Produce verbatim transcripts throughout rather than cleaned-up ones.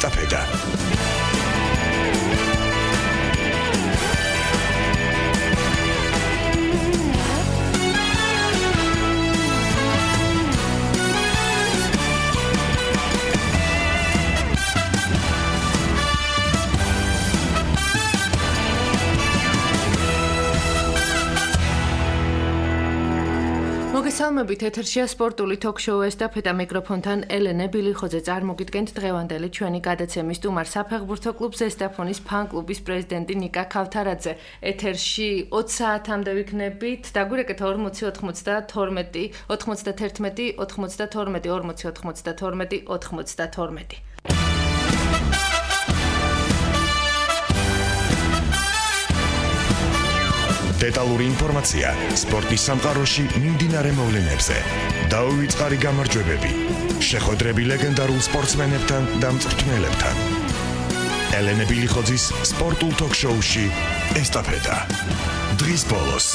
ესტაფეტა. მოგესალმებით, ეთერშია სპორტული თოქ-შოუ ესტაფეტა, მიკროფონთან ელენე ბილიხოძე. წარმოგიდგენთ დღევანდელი ჩვენი გადაცემის სტუმარ საფეხბურთო კლუბ ზესტაფონის ფან-კლუბის პრეზიდენტი ნიკა ქავთარაძე. ეთერში ოცი საათამდე ვიქნებით. დაგვირეკეთ ორმოცი ოთხმოცდათორმეტი ოთხმოცდაერთმეტი ოთხმოცდათორმეტი ორმოცი ოთხმოცდათორმეტი ოთხმოცდათორმეტი. დეტალური ინფორმაცია სპორტის სამყაროში მიმდინარე მოვლენებზე. დაუვიწყარი გამარჯვებები, შეხვედრები ლეგენდარულ სპორტსმენებთან და მწვრთნელებთან. ელენე ბილიხოძის სპორტულ თოქ-შოუში ესტაფეტა. დღის ბოლოს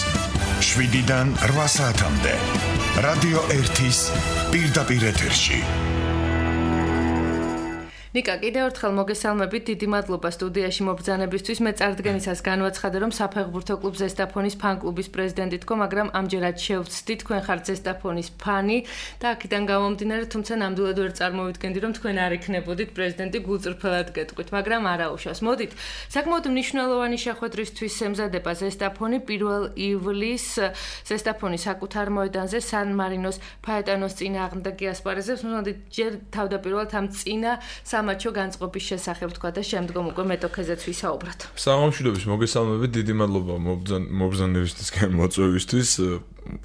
შვიდიდან რვა საათამდე რადიო ერთის პირდაპირ ეთერში. ნიკა, კიდევ ერთხელ მოგესალმებით, დიდი მადლობა სტუდიაში მობრძანებისთვის. მე წარდგენისას განვაცხადე, რომ საფეხბურთო კლუბ ზესტაფონის ფან-კლუბის პრეზიდენტი თქო, მაგრამ ამჯერად შევცდი, თქვენ ხართ ზესტაფონის ფანი და აქედან გამომდინარე, თუმცა ნამდვილად ვერ წარმოვიდგენდი, რომ თქვენ არ იქნებოდით პრეზიდენტი, გულწრფელად გეტყვით, მაგრამ არა უშავს. მოდით, საკმაოდ მნიშვნელოვანი შეხვედრისთვის ემზადება ზესტაფონი პირველ ივლისს ზესტაფონის საკუთარ მოედანზე სან მარინოს ფაეტანოს წინააღმდეგი ასპარეზებს. მოდით, ჯერ თავდაპირველად ამ წინა სამაჩო განწყობის შესახებ თქვა და შემდგომ უკვე მეტოქეზეც ვისაუბროთ. საღამოშიდობის მოგესალმებით, დიდი მადლობა მობრძანებისთვის, მოწვევისთვის.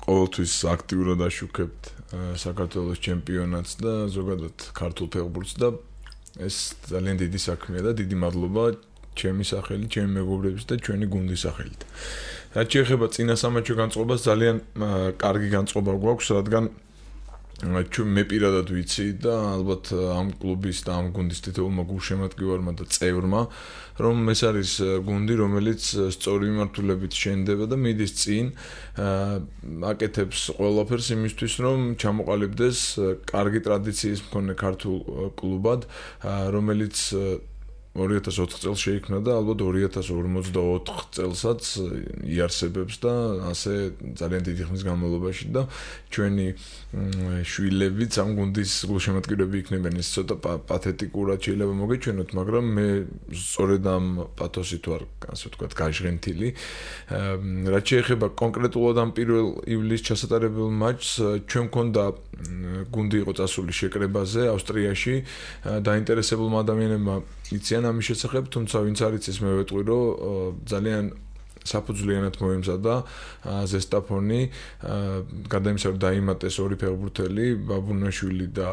ყოველთვის აქტიურად აშუქებთ საქართველოს ჩემპიონატს და ზოგადად ქართულ ფეხბურთს და ეს ძალიან დიდი საქმეა და დიდი მადლობა ჩემი სახელით, ჩემი მეგობრების და ჩვენი გუნდის სახელით. რაც შეეხება წინა სამაჩო განწყობას, ძალიან კარგი განწყობა გვაქვს, რადგან მე პირადად ვიცი და ალბათ ამ კლუბის და ამ გუნდის თითოეულმა გულშემატკივარმა და წევრმა, რომ ეს არის გუნდი, რომელიც სწორი მიმართულებით შენდება და მიდის წინ, აკეთებს ყველაფერს იმისთვის, რომ ჩამოყალიბდეს კარგი ტრადიციის მქონე ქართულ კლუბად, რომელიც ორი ათას ოთხ წელს შეიქმნა და ალბათ ორი ათას ორმოცდაოთხ წელსაც იარსებებს და ასე ძალიან დიდი ხნის განმავლობაში და ჩვენი შვილებიც ამ გუნდის გულშემატკივრები იქნებიან. ეს ცოტა პათეტიკურად შეიძლება მოგეჩვენოთ, მაგრამ მე სწორედ ამ პათოსით ვარ, ასე ვთქვათ, გაჟღენთილი. რაც შეეხება კონკრეტულად ამ პირველ ივლისს ჩასატარებელ მატჩს, ჩვენ მქონდა გუნდი იყო წასული შეკრებაზე ავსტრიაში, დაინტერესებულმა ადამიანებმა იციან ამის შესახებ, თუმცა ვინც არ იცის, მე ვეტყვი, რომ ძალიან საფუძვლიანად მოემზადა ზესტაფონი, გადაიმსახურა რომ დაიმატეს ორი ფეხბურთელი, ბაბუნაშვილი და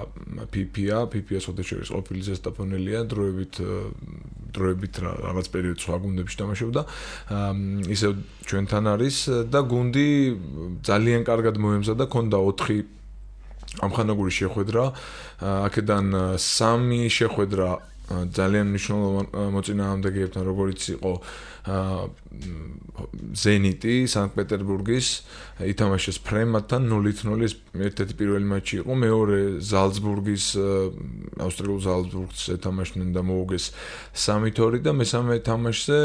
ფიფია, ფიფია სოდეშევის ყოფილი ზესტაფონელია, დროებით დროებით რაღაც პერიოდ სხვა გუნდებში თამაშობდა. ისევ ჩვენთან არის და გუნდი ძალიან კარგად მოემზადა, ქონდა ოთხი ამხანაგური შეხვედრა, აქედან სამი შეხვედრა ძალიან მნიშვნელოვანი მოწინააღმდეგეებთან, როგორც იყო ზენიტი სანქტ-პეტერბურგის, ითამაშეს ფრემატთან ნულით ნული, ერთ-ერთი პირველი მატჩი იყო, მეორე ზალცბურგის, ავსტრიულ ზალცბურგს ეთამაშნენ და მოუგეს სამით ორი და მესამე თამაშზე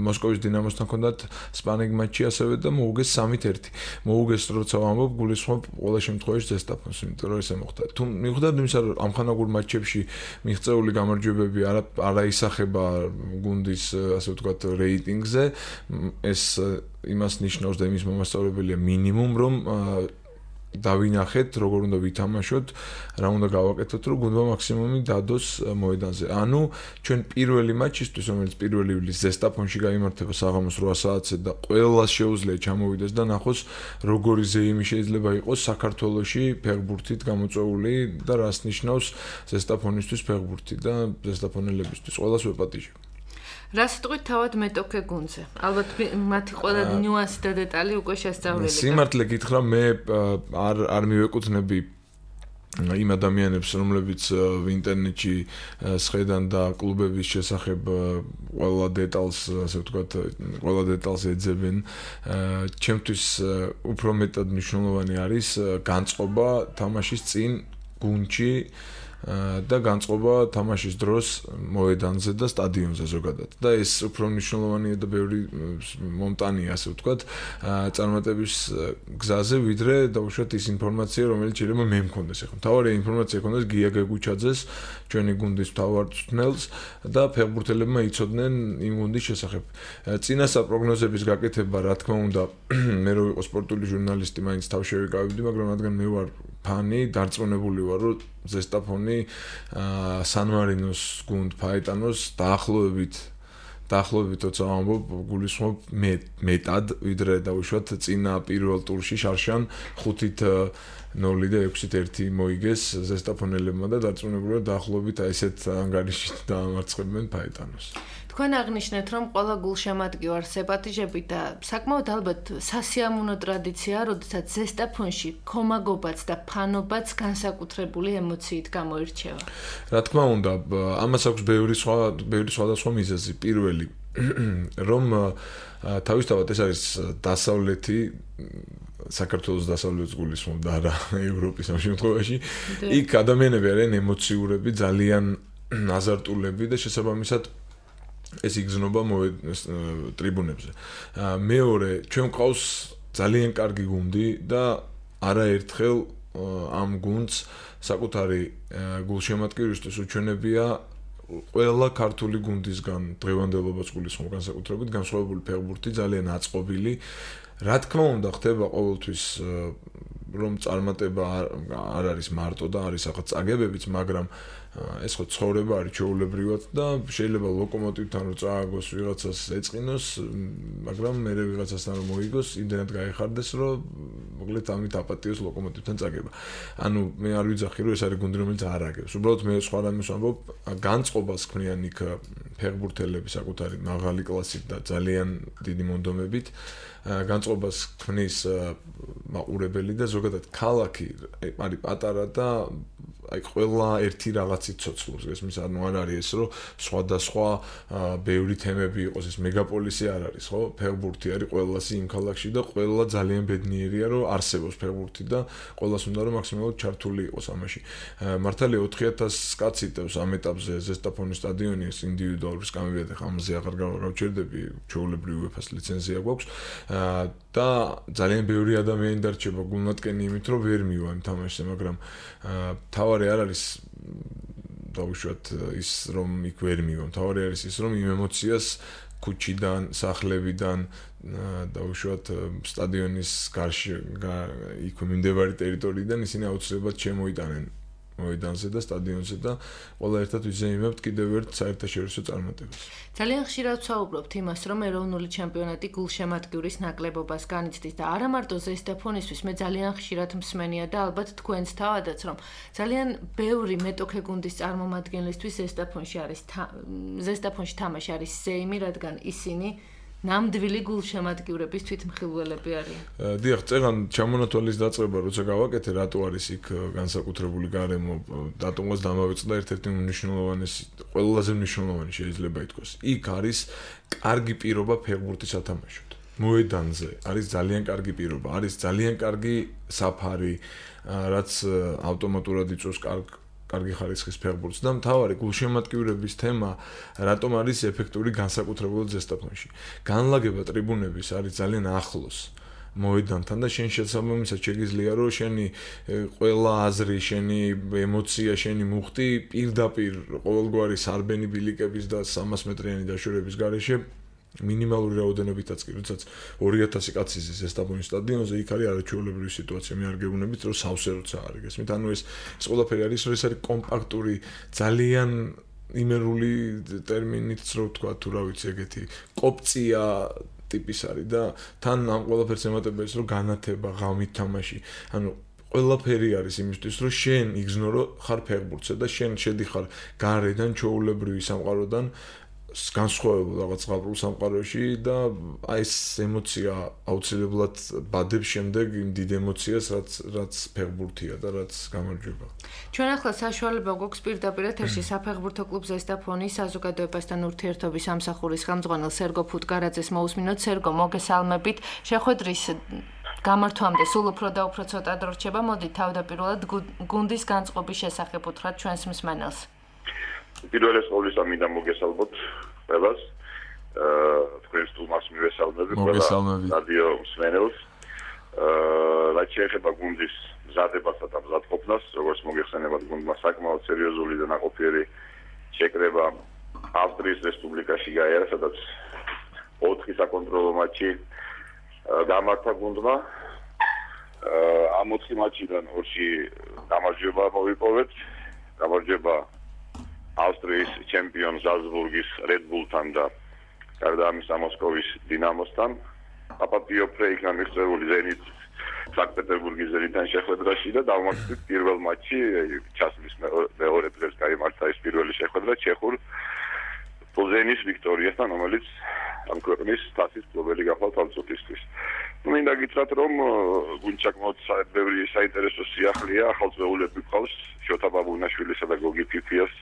მოსკოვის დინამოსთან ჰქონდათ სპარინგ მატჩი ასევე და მოუგეს სამით ერთი. მოუგეს, როცა ვამბობ, გულისხმობ ყველა შემთხვევაში ზესტაფონს, იმიტომ რომ ესე მოხდა. თუ მიუხედავად იმისა, რომ ამხანაგურ მატჩებში მიღწეული გამარჯვებები არა არა ისახება გუნდის, ასე ვთქვათ, რეიტინგზე, ეს იმას ნიშნავს და იმის მომასწორებელია მინიმუმ, რომ დავინახეთ, როგორ უნდა ვითამაშოთ, რა უნდა გავაკეთოთ, რომ გუნდმა მაქსიმუმი დადოს მოედანზე. ანუ ჩვენ პირველი მატჩისთვის, რომელიც პირველი ივლისს ზესტაფონში გაიმართება საღამოს რვა საათზე და ყველას შეუძლია ჩამოვიდეს და ნახოს, როგორი ზეიმი შეიძლება იყოს საქართველოში ფეხბურთით გამოწვეული და რას ნიშნავს ზესტაფონისთვის ფეხბურთი და ზესტაფონელებისთვის. ყველას ვეპატიჟებ. რა სიტყვით თავად მეტოქე გუნდზე? ალბათ მათი ყველა ნიუანსი და დეტალი უკვე შესწავლილი. სიმართლე გითხრა, მე არ არ მივეკუთვნები იმ ადამიანებს, რომლებიც ინტერნეტში სხედან და კლუბების შესახებ ყველა დეტალს, ასე ვთქვათ, ყველა დეტალს ეძებენ. ჩემთვის უფრო მეტად მნიშვნელოვანი არის განწყობა თამაშის წინ გუნდში, და განწყობა თამაშის დროს მოედანზე და სტადიონზე ზოგადად. და ეს უფრო მნიშვნელოვანია და ბევრი მომტანია, ასე ვთქვათ, წარმატების გზაზე, ვიდრე დაუშვათ ის ინფორმაცია, რომელიც შეიძლება მე მქონდეს ახლა. თავარი ინფორმაცია ქონდეს გია გეგუჩაძეს, ჩვენი გუნდის მთავარ მწვრთნელს და ფეხბურთელებმა იცოდნენ იმ გუნდის შესახებ. წინასწარ პროგნოზების გაკეთება, რა თქმა უნდა, მე რო ვიყო სპორტული ჟურნალისტი, მაინც თავ შევიკავებდი, მაგრამ რადგან მე ვარ ფანი, დარწმუნებული ვარ, რომ ზესტაფონი სან-მარინოს გუნდ ფაეტანოს დაახლოებით დაახლოებით თორსა ამბობ გულისხმობ მე მეტად ვიდრე დაუშვათ წინა პირველ ტურში შარშან ხუთით ნოლი და ექვსით ერთი მოიგეს ზესტაფონელებმა და დარწმუნებული ვარ დაახლოებით აი ესეთ ანგარიშით დაამარცხებენ ფაეტანოს. თქვენ აღნიშნეთ, რომ ყველა გულშემატკივარ სეპატიჟები და საკმაოდ ალბათ სასიამოვნო ტრადიციაა, როდესაც ზესტაფონში ქომაგობაც და ფანობაც განსაკუთრებული ემოციით გამოირჩევა. რა თქმა უნდა, ამას აქვს ბევრი სხვა ბევრი სხვადასხვა მიზეზი. პირველი, რომ თავისთავად ეს არის დასავლეთი საქართველოს დასავლეთის გულისხმობ და არა ევროპის ამ შემთხვევაში. იქ ადამიანები არიან ემოციურები, ძალიან აზარტულები და შესაბამისად ეს იგზნობა ტრიბუნებზე. მეორე, ჩვენ ყავს ძალიან კარგი გუნდი და არაერთხელ ამ გუნდს საკუთარი გულშემატკივრისთვის უჩვენებია ყველა ქართული გუნდისგან დღევანდელობას გულისხმობ განსაკუთრებით განსხვავებული ფეხბურთი, ძალიან აწყობილი. რა თქმა უნდა, ხდება ყოველთვის რომ წარმატება არ არის მარტო და არის ახაც წაგებებიც, მაგრამ ეს ხო ცხოვრება არის ჩვეულებრივად და შეიძლება ლოკომოტივთან რო წააგოს ვიღაცას ეწყინოს, მაგრამ მე ვიღაცასთან რომ მოიგოს, იმდენად გაიხარდეს, რომ მოკლედ ამით აპატიოს ლოკომოტივთან წაგება. ანუ მე არ ვიძახი, რომ ეს არის გუნდი, რომელიც არ აგებს. უბრალოდ მე სხვა რამეს ვამბობ, განწყობას ქმნიან იქ ფეხბურთელები საკუთარი მაღალი კლასით და ძალიან დიდი მონდომებით. განწყობას ქმნის მაყურებელი და ზოგადად ქალაქი არის პატარა და აი ყველა ერთი რაღაცით ცოცხლობს. ესმის ანუ არ არის ეს რომ სხვადასხვა ბევრი თემები იყოს, ეს მეგაპოლისი არ არის, ხო? ფეხბურთი არის ყველასი იმ ქალაქში და ყველა ძალიან ბედნიერია რომ არსებობს ფეხბურთი და ყველას უნდა რომ მაქსიმალურად ჩართული იყოს ამაში. მართალია ოთხი ათასი კაცი დევს ამ ეტაპზე ზესტაფონის სტადიონი, ეს ინდივიდუალური სკამებია, ხა ამაზე აღარ გავჩერდები, ჩვეულებრივი უეფას ლიცენზია გვაქვს და ძალიან ბევრი ადამიანი დარჩება გულმატკენი იმით რომ ვერ მივა იმ თამაშზე, მაგრამ თავარი არ არის დაუშვათ ის რომ იქ ვერ მივა. თავარი არის ის რომ იმ ემოციას ქუჩიდან, სახლებიდან დაუშვათ სტადიონის გარშე იქ მიმდებარი ტერიტორიიდან ისინი აუცილებლად შემოიტანენ მოედანზე და სტადიონზე და ყველა ერთად ვიზეიმებთ კიდევ ერთ საერთაშორისო წარმატებას. ძალიან ხშირად ვსაუბრობთ იმას, რომ ეროვნული ჩემპიონატი გულშემატკივრის ნაკლებობას განიცდის და არა მარტო ზესტაფონისთვის, მე ძალიან ხშირად მსმენია და ალბათ თქვენც თავადაც, რომ ძალიან ბევრი მეტოქე გუნდის წარმომადგენლისთვის ზესტაფონში არის ზესტაფონში თამაში არის ზეიმი, რადგან ისინი ნამდვილი გულშემატკივრების თვითმხილველები არიან. დიახ, წერან ჩამონათვალის დაწყება როცა გავაკეთე, რატო არის იქ განსაკუთრებული გარემო, დატომას დამავიწყდა ერთ-ერთი მნიშვნელოვანესი, ყველაზე მნიშვნელოვანი შეიძლება ითქვას. იქ არის კარგი პირობა ფეხბურთის სათამაშოდ. მოედანზე არის ძალიან კარგი პირობა, არის ძალიან კარგი საფარი, რაც ავტომატურად იწვევს კარგ კარგი ხარისხის ფეხბურთს და მთავარი გულშემატკივრების თემა რატომ არის ეფექტური განსაკუთრებულად ზესტაფონში. განლაგება ტრიბუნების არის ძალიან ახლოს მოედანთან და შენ შესაბამისად შეგიძლია რომ შენი ყველა აზრი, შენი ემოცია, შენი მუხტი პირდაპირ ყოველგვარი სარბენი ბილიკების და სამას მეტრიანი დაშორების გარეშე მინიმალური რაოდენობითაც კი, როდესაც ორი ათასი კაცი ზის ზესტაფონის სტადიონზე, იქ არის არაჩვეულებრივი სიტუაცია. მე არ გეუბნებით, რომ სავსე როცა არის. გესმით? ანუ ეს ეს ყველაფერი არის, რომ ეს არის კომპაქტური, ძალიან იმერული ტერმინით რო ვთქვა, თუ რა ვიცი, ეგეთი კოპწია ტიპის არის და თან ამ ყველაფერს ემატება ის, რომ განათება, ღამით თამაში. ანუ ყველაფერი არის იმისთვის, რომ შენ იგზნო რომ ხარ ფეხბურთზე და შენ შედიხარ გარედან ჩვეულებრივი სამყაროდან განსხვავებულ რაღაც ღაბრულ სამყაროში და აი ეს ემოცია აუცილებლად ბადებს შემდეგ იმ დიდ ემოციას, რაც რაც ფეხბურთია და რაც გამარჯვება. ჩვენ ახლა საშუალება გვაქვს პირდაპირ ეთერში საფეხბურთო კლუბ ზესტაფონის საზოგადოებასთან ურთიერთობის სამსახურის ხელმძღვანელ სერგო ფუტკარაძეს მოусმინოთ. სერგო, მოგესალმებით. შეხვედრის გამართვამდე სულ უფრო და უფრო ცოტა დრო რჩება. მოდით თავდაპირველად გუნდის განწყობის შესახებ უთხრათ ჩვენს მსმენელს. პირველეს ყოვლისა მინდა მოგესალმოთ ყველას. აა თქვენს სტუმარს მივესალმები ყველა რადიო მსმენელს. აა რაც შეეხება გუნდის მზადებასა და მზადყოფნას, როგორც მოგეხსენებათ, გუნდმა საკმაოდ სერიოზული და ნაყოფიერი შეკრება ავსტრიის რესპუბლიკაში გაიარა, სადაც ოთხი საკონტროლო მატჩი გამართა გუნდმა. ამ ოთხი მატჩიდან ორში გამარჯვება მოვიპოვეთ. გამარჯვება ავსტრიის ჩემპიონ ზალცბურგის Red Bull-თან და გარდა ამისა მოსკოვის დინამოსთან. აპატიო ფრეიქნა მიღწეული ზენით სანქტ-პეტერბურგის ზენიტთან შეხვედრაში და დავმარცხეთ პირველ მატჩი ჩასვლის მეორე დღეს გაიმართა ეს პირველი შეხვედრა ჩეხურ პლზენის ვიქტორიასთან, რომელიც ამ ქვეყნის თასის მფლობელი გახდა თავწუთისთვის. ნუ მინდა გითხრათ, რომ გუნდს საკმაოდ ბევრი საინტერესო სიახლეა, ახალწეულები გვყავს, შოთა ბაბუნაშვილისა და გოგი ფიფიას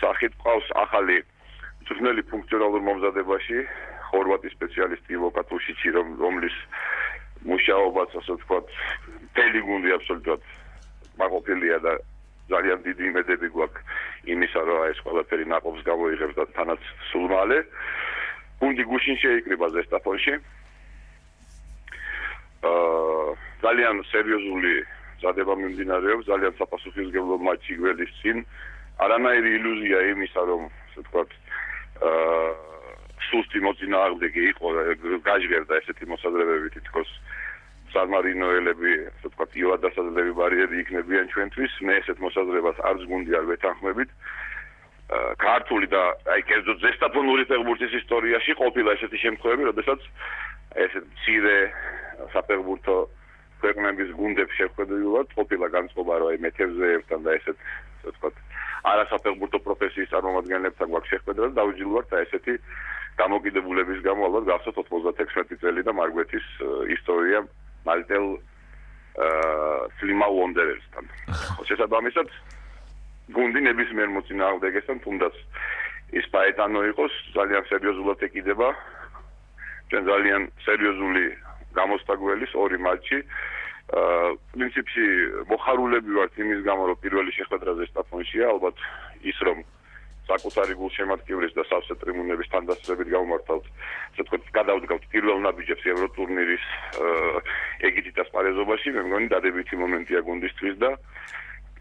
სახით გვყავს ახალი მწვრთნელი ფუნქციონალურ მომზადებაში, ხორვატი სპეციალისტი ლუკა თუშიჩი, რომლის მუშაობაც, ასე ვთქვათ, მთელი გუნდი აბსოლუტურად მაყოფილია და ძალიან დიდი იმედები გვაქვს იმისა, რომ ეს ყველაფერი ნაკობს გამოიღებს და თანაც სულ მალე. გუნდი გუშინ შეიკრიბა ზესტაფონში. აა ძალიან სერიოზული მზადება მიმდინარეობს, ძალიან საფასუხისმგებლო მატჩი გველის წინ. არანაირი ილუზია იმისა, რომ ასე ვთქვათ, აა სუსტი მოწინააღმდეგე იყო, გაჟღერდა ესეთი მოსაზრებები თითქოს სამარინოელები, ასე ვთქვათ, იოადასაზრდები ბარიერი იქნებიან ჩვენთვის. მე ესეთ მოსაზრებას არც გუნდი არ ვეთანხმებით. ქართული და აი კერძოდ ზესტაფონური ფეხბურთის ისტორიაში ყოფილა ესეთი შემთხვევები, როდესაც ესეთ მცირე საფეხბურთო ქვეყნების გუნდებს შეხვედრილად ყოფილა განწყობა, რომ აი მეთევზეებთან და ესეთ, ასე ვთქვათ, არასაფეხბურთო პროფესიის წარმომადგენლებთან გვაქვს შეხვედრა და დავიჯილავთ ესეთი დამოკიდებულების გამო ალბათ გახსოვთ ოთხმოცდათექვსმეტი წელი და მარგვეთის ისტორია მალტელ სლიმაუ ვონდერერსთან. შესაბამისად გუნდი ნებისმიერ მოწინააღმდეგესთან თუნდაც ის პაეტანო იყოს, ძალიან სერიოზულად ეკიდება. ჩვენ ძალიან სერიოზული გამოსთა გველის ორი მატჩი. პრინციპში მოხარულები ვართ იმის გამო, რომ პირველი შეხვედრა ზესტაფონშია, ალბათ ის რომ საკუთარი გულშემატკივრის და სავსე ტრიბუნების თანდასწრებით გავმართავთ, ასე ვთქვათ, გადავდგავთ პირველ ნაბიჯებს ევროტურნირის ეგიდით ასპარეზობაში, მე მგონი დადებითი მომენტია გუნდისთვის და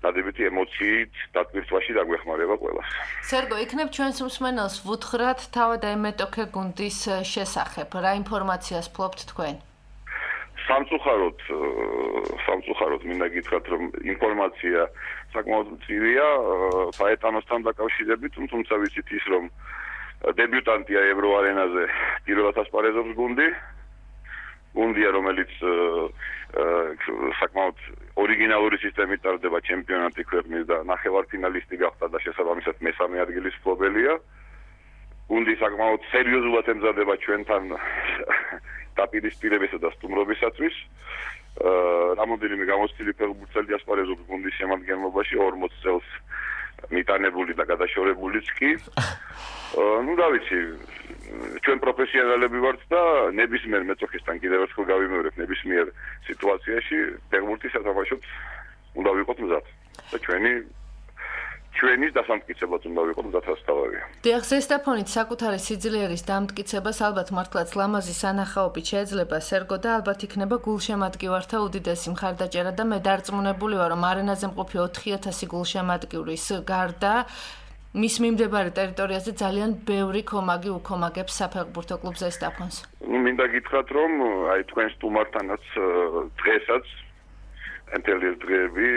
დადებითი ემოციით დატვირთვაში დაგვეხმარება ყველას. სერგო, იქნებ ჩვენს მსმენელს ვუთხრათ თავად ემეტოქე გუნდის შესახებ. რა ინფორმაციას ფლობთ თქვენ? სამწუხაროდ, სამწუხაროდ მინდა გითხრათ, რომ ინფორმაცია საკმაოდ მწირია პაეტანოსთან დაკავშირებით, თუმცა ვიცით ის, რომ დებიუტანტია ევროარენაზე პირველად ასპარეზობს გუნდი. გუნდია, რომელიც საკმაოდ ორიგინალური სისტემით ტარდება ჩემპიონატი ქვეყნის და ნახევარფინალისტი გახდა და შესაბამისად მესამე ადგილის მფლობელია. გუნდი საკმაოდ სერიოზულად ემზადება ჩვენთან დაპირისპირებისა და სტუმრობისათვის. რამოდენიმე გამოცდილი ფეხბურთელი ასპარეზობს გუნდის შემადგენლობაში ორმოც წელს მიტანებული და გადაშორებულიც კი. ნუ რა ვიცი, ჩვენ პროფესიონალები ვართ და ნებისმიერ მეწოქესთან კიდევ ერთხელ გავიმეორებ, ნებისმიერ სიტუაციაში ფეხბურთის სათამაშოდ უნდა ვიყოთ მზად. და ჩვენი ჩვენის დასამტკიცებლად უნდა ვიყოთ მზადასთავარია. დიახ, ზესტაფონით საკუთარი სიძლიერის დამტკიცებას ალბათ მართლაც ლამაზი სანახაობით შეეძლება სერგო და ალბათ იქნება გულშემატკივართა უდიდესი მხარდაჭერა და მე დარწმუნებული ვარ, რომ არენაზე მყოფი ოთხი ათასი გულშემატკივრის გარდა მის მიმდებარე ტერიტორიაზე ძალიან ბევრი კომაგი უკომაგებს საფეხბურთო კლუბ ზესტაფონს. ნუ მინდა გითხრათ, რომ აი თქვენ სტუმართანაც დღესაც მთელი დღეები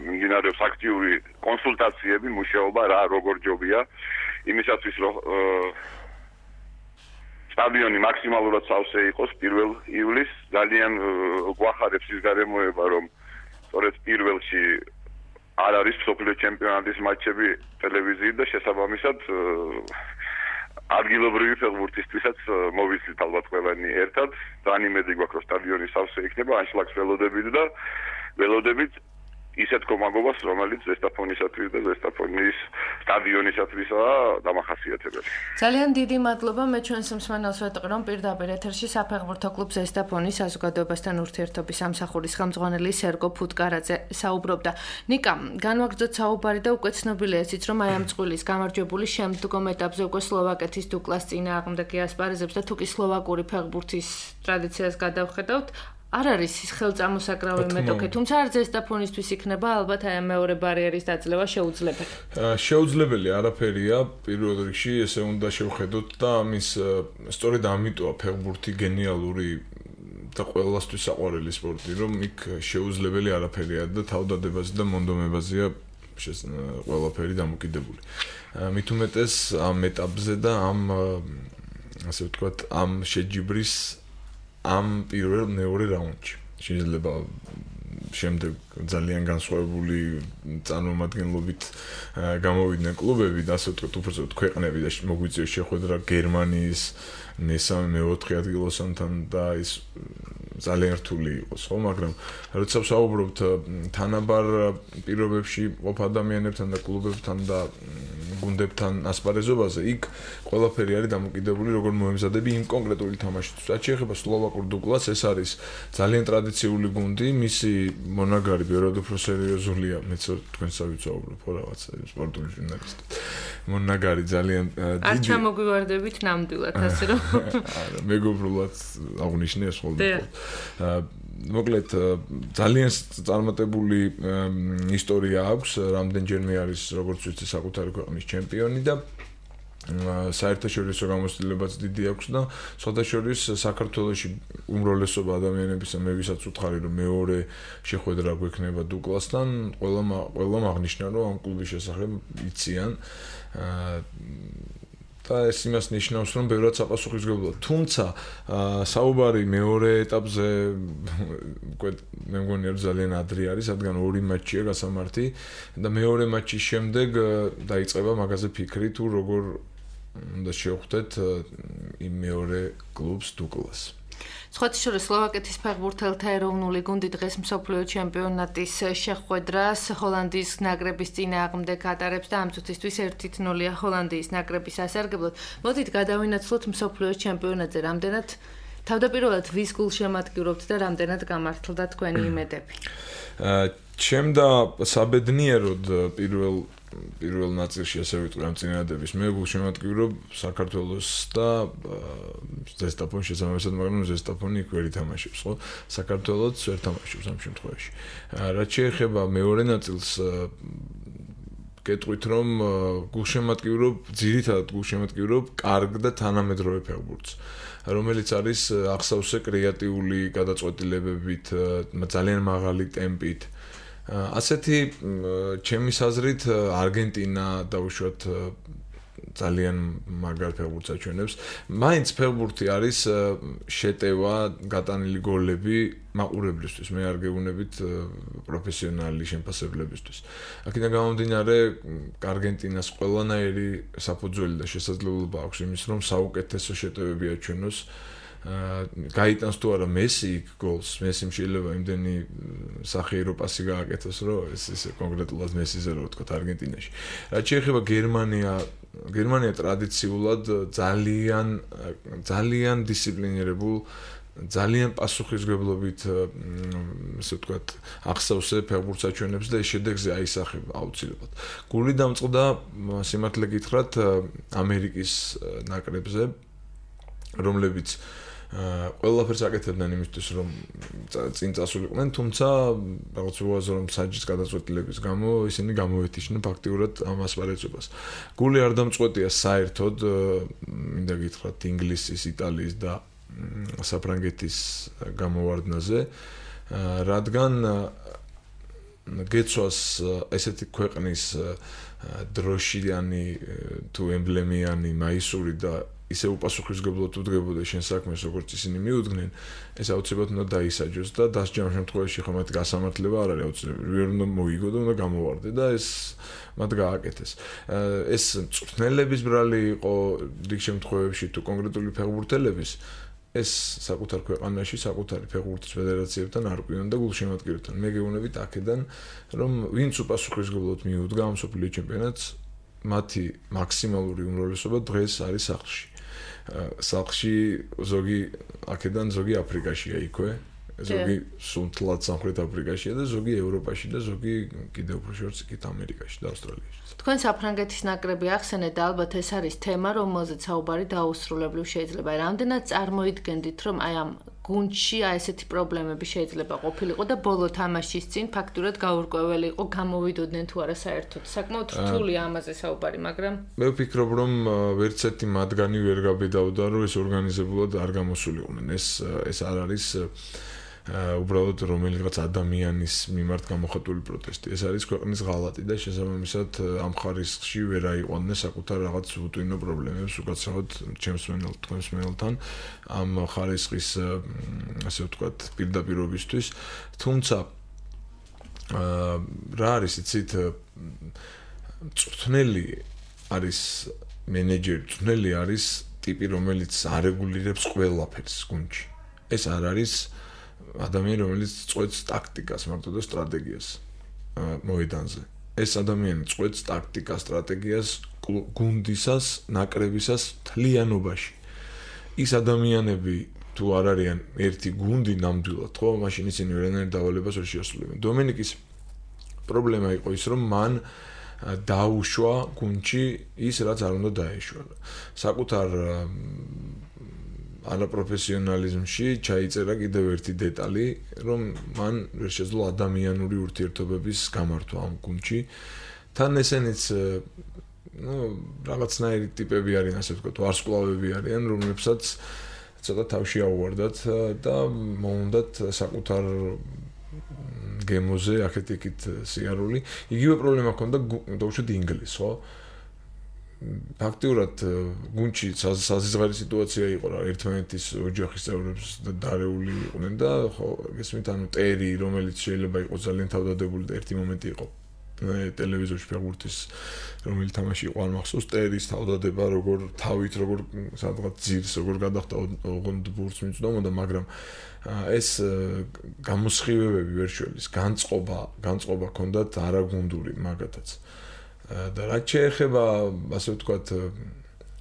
მიმდინარეობს აქტიური კონსულტაციები, მუშაობა რა როგორ ჯობია იმისათვის, რომ სტადიონი მაქსიმალურად სავსე იყოს პირველ ივლისს. ძალიან გვახარებს ის გარემოება, რომ სწორედ პირველში არ არის მსოფლიო ჩემპიონატის მატჩები ტელევიზიით და შესაბამისად ადგილობრივი ფეხბურთისტვისაც მოვიცით ალბათ ყველანი ერთად. ძალიან იმედი გვაქვს, რომ სტადიონი სავსე იქნება, ანშლაგს ველოდებით და ველოდებით ისეთ კომაგობას, რომელიც ზესტაფონისათვის და ზესტაფონის სტადიონისათვისაა დამახასიათებელი. ძალიან დიდი მადლობა. მე ჩვენს მსმენელს ვეტყვი, რომ პირდაპირ ეთერში საფეხბურთო კლუბ ზესტაფონის საზოგადოებასთან ურთიერთობის სამსახურის ხელმძღვანელი სერგო ფუტკარაძე საუბრობდა. ნიკა, განვაგრძოთ საუბარი და უკვე ცნობილია ისიც, რომ აი ამ წვილის გამარჯვებული შემდგომ ეტაპზე უკვე სლოვაკეთის დუკლას წინააღმდეგი ასპარეზობს და თუ კი სლოვაკური ფეხბურთის ტრადიციას გადავხედავთ, არ არის ის ხელწამოსაკრავი მეტოქე, თუმცა არ ზესტაფონისთვის იქნება ალბათ აი მეორე ბარიერის დაძლევა შეუძლებელი. შეუძლებელი არაფერია, პირველ რიგში ესე უნდა შევხედოთ და ამის სწორედ ამიტოა ფეხბურთი გენიალური და ყველასთვის საყვარელი სპორტი, რომ იქ შეუძლებელი არაფერია და თავდადებაზე და მონდომებაზეა ყველაფერი დამოკიდებული. მით უმეტეს ამ ეტაპზე და ამ ასე ვთქვათ, ამ შეჯიბრის ამ პირველ მეორე რაუნდში შეიძლება შემდეგ ძალიან განსხვავებული წარმომადგენლობით გამოვიდნენ კლუბები და ასე ვთქვათ უბრალოდ ქვეყნები და მოგვიწევს შეხვედრა გერმანიის მესამე მეოთხე ადგილოსთან და ის ძალიან რთული იყოს, ხო, მაგრამ როცა ვსაუბრობთ თანაბარ პირობებში ყოფ ადამიანებთან და კლუბებთან და გუნდებთან ასპარეზობაზე, იქ ყველაფერი არის დამოკიდებული როგორ მოემზადები იმ კონკრეტული თამაშისთვის. რაც შეეხება სლოვაკურ დუკლას, ეს არის ძალიან ტრადიციული გუნდი, მისი მონაგარი ბევრად უფრო სერიოზულია, მეც თქვენსა ვიცაუბრობ, ხო, რაღაც სპორტული ჟურნალისტი. მონაგარი ძალიან დიდი. არ ჩამოგვივარდებით ნამდვილად, ასე რომ მეგობრულად აღნიშნეს ხოლმე. მოკლედ ძალიან წარმატებული ისტორია აქვს, რამდენჯერმე არის როგორც ვიცი საკუთარი ქვეყნის ჩემპიონი და საერთაშორისო გამოცდილებაც დიდი აქვს და სხვადასხვა საქართველოში უმრავლესობა ადამიანებისა მე ვისაც უთხარი რომ მეორე შეხვედრა გვექნება დუკლასთან, ყველა ყველა აღნიშნა რომ ამ კლუბის შესახებ იციან და ეს იმას ნიშნავს რომ ბევრად საპასუხისმგებლოა. თუმცა საუბარი მეორე ეტაპზე უკვე მე მგონი რომ ძალიან ადრე არის, რადგან ორი მატჩია გასამართი და მეორე მატჩის შემდეგ დაიწყება მაგაზე ფიქრი თუ როგორ უნდა შევხვდეთ იმ მეორე კლუბს დუკლას. სხვათა შორის სლოვაკეთის ფეხბურთელთა ეროვნული გუნდი დღეს მსოფლიო ჩემპიონატის შეხვედრას ჰოლანდიის ნაკრების წინააღმდეგ ატარებს და ამ წუთისთვის ერთი ნულია ჰოლანდიის ნაკრების ასარგებლად. მოდით გადავინაცვლოთ მსოფლიო ჩემპიონატზე, რამდენად თავდაპირველად ვის გულშემატკივრობთ და რამდენად გამართლდა თქვენი იმედები? ჩემდა საბედნიეროდ პირველ პირველ ნაწილში ასე ვიტყვი ამ წინადადების მე გულშემატკივრობ საქართველოს და ზესტაფონის შესაბამისად, მაგრამ ზესტაფონი იქ ვერ ითამაშებს, ხო? საქართველოც ვერ თამაშობს ამ შემთხვევაში. რაც შეეხება მეორე ნაწილს, გეტყვით რომ გულშემატკივრობ, ძირითადად გულშემატკივრობ კარგ და თანამედროვე ფეხბურთს, რომელიც არის აღსავსე კრეატიული გადაწყვეტილებებით, ძალიან მაღალი ტემპით. ასეთი ჩემის აზრით არგენტინა დაუშვათ ძალიან მაგარ ფეხბურთს აჩვენებს. მაინც ფეხბურთი არის შეტევა, გატანილი გოლები მაყურებლისთვის, მე არ გეუბნებით პროფესიონალი შემფასებლებისთვის. აქედან გამომდინარე, არგენტინას ყველანაირი საფუძველი და შესაძლებლობა აქვს იმის, რომ საუკეთესო შეტევები აჩვენოს. გაიტანს თუ არა მესი გოლს, მესიმ შეიძლება იმდენი სახიერო პასი გააკეთოს, რომ ეს ისე კონკრეტულად მესიზე რო ვთქვა არგენტინაში. რაც შეეხება გერმანია, გერმანია ტრადიციულად ძალიან ძალიან დისციპლინირებულ, ძალიან პასუხისმგებლობით, ასე ვთქვათ, აღსავსე ფეხბურთს აჩვენებს და ეს შედეგზე აისახება აუცილებლად. გული დამწყდა სიმართლე გითხრათ ამერიკის ნაკრებზე, რომლებიც ყველაფერს აკეთებდნენ იმისთვის, რომ წინ წასულიყვნენ, თუმცა რაღაც უაზრო რომ საჯის გადაწყვეტილების გამო ისინი გამოვეთიშნენ ფაქტიურად ამ ასპარეზობას. გული არ დამწყვეტია საერთოდ, მინდა გითხრათ, ინგლისის, იტალიის და საფრანგეთის გამოვარდნაზე, რადგან გეცვას ესეთი ქვეყნის დროშიანი თუ ემბლემიანი მაისური და ისე უპასუხისმგებლოდ უდგებოდა შენ საქმეს, როგორც ისინი მიუძღნენ, ეს აუცილებლად უნდა დაისაჯოს და დასჯამ შემთხვევაში ხომ მათი გასამართლება არ არის აუცილებელი. ვერ უნდა მოიგო და უნდა გამოვარდე და ეს მათ გააკეთეს. ეს მწვრთნელების ბრალი იყო რიგ შემთხვევებში თუ კონკრეტული ფეხბურთელების, ეს საკუთარ ქვეყანაში, საკუთარი ფეხბურთის ფედერაციებთან არ ყვიონ და გულშემატკივრებთან. მე გეუბნებით აქედან, რომ ვინც უპასუხისმგებლოდ მიუდგა ამ მსოფლიო ჩემპიონატს, მათი მაქსიმალური უმრავლესობა დღეს არის სახლში. სახლში ზოგი აქედან ზოგი აფრიკაშია იქვე, ზოგი სუნთლად სამხრეთ აფრიკაშია და ზოგი ევროპაში და ზოგი კიდევ უფრო შორს იქით ამერიკაში და ავსტრალიაში. თქვენ საფრანგეთის ნაკრები ახსენეთ და ალბათ ეს არის თემა, რომელზეც საუბარი დაუსრულებლივ შეიძლება. რამდენად წარმოიდგენდით, რომ აი ამ გუნდში აი ესეთი პრობლემები შეიძლება ყოფილიყო და ბოლო თამაშის წინ ფაქტურად გაურკვეველი იყო, გამოვიდოდნენ თუ არა საერთოდ. საკმაოდ რთულია ამაზე საუბარი, მაგრამ მე ვფიქრობ, რომ ვერც ერთი მათგანი ვერ გაბედავდა, რომ ეს ორგანიზებულად არ გამოსულიყვნენ. ეს ეს არ არის უბრალოდ რომელიღაც ადამიანის მიმართ გამოხატული პროტესტი. ეს არის ქვეყნის ღალატი და შესაბამისად ამ ხარისხში ვერ აიყვანდნენ საკუთარ რაღაც უტვინო პრობლემებს, უკაცრავად ჩემს მენელთან, თქვენს მენელთან ამ ხარისხის ასე ვთქვათ პირდაპირობისთვის. თუმცა რა არის იცით წვრთნელი არის მენეჯერი, წვრთნელი არის ტიპი, რომელიც არეგულირებს ყველაფერს გუნდში. ეს არ არის ადამიანი, რომელიც წვეთს ტაქტიკას, მარტო და სტრატეგიას მოედანზე. ეს ადამიანი წვეთს ტაქტიკას, სტრატეგიას გუნდისას, ნაკრებისას მთლიანობაში. ის ადამიანები თუ არ არიან ერთი გუნდი ნამდვილად, ხო, მაშინ ისინი ვერანაირ დავალებას ვერ შეასრულებენ. დომენიკის პრობლემა იყო ის, რომ მან დაუშვა გუნდში ის, რაც არ უნდა დაეშვა. საკუთარ არაპროფესიონალიზმში ჩაიწერა კიდევ ერთი დეტალი, რომ მან ვერ შეძლო ადამიანური ურთიერთობების გამართვა ამ გუნდში. თან ესენიც ну, რაღაცნაირი ტიპები არიან, ასე ვთქვათ, ვარსკვლავები არიან, რომლებსაც ცოტა თავში აუვარდათ და მოუნდათ საკუთარ გემოზე აქეთ-იქით სიარული. იგივე პრობლემა ჰქონდა დაუშვათ ინგლისს, ხო? ფაქტიურად გუნდში საზღვარი სიტუაცია იყო რა, ერთმანეთის ოჯახის წევრებს დარეული იყვნენ და ხო, გესმით, ანუ ტერი, რომელიც შეიძლება იყოს ძალიან თავდადებული და ერთი მომენტი იყო ტელევიზორში ფეხბურთის რომელიც თამაში იყო არ მახსოვს, ტერის თავდადება, როგორ თავით, როგორ სადღაც ძირს, როგორ გადახდა ოღონდ ბურთს მიწვდომოდა, მაგრამ ეს გამოსხივებები ვერ შველის, განწყობა, განწყობა ჰქონდათ არაგუნდური მაგათაც. და რაც შეეხება, ასე ვთქვათ,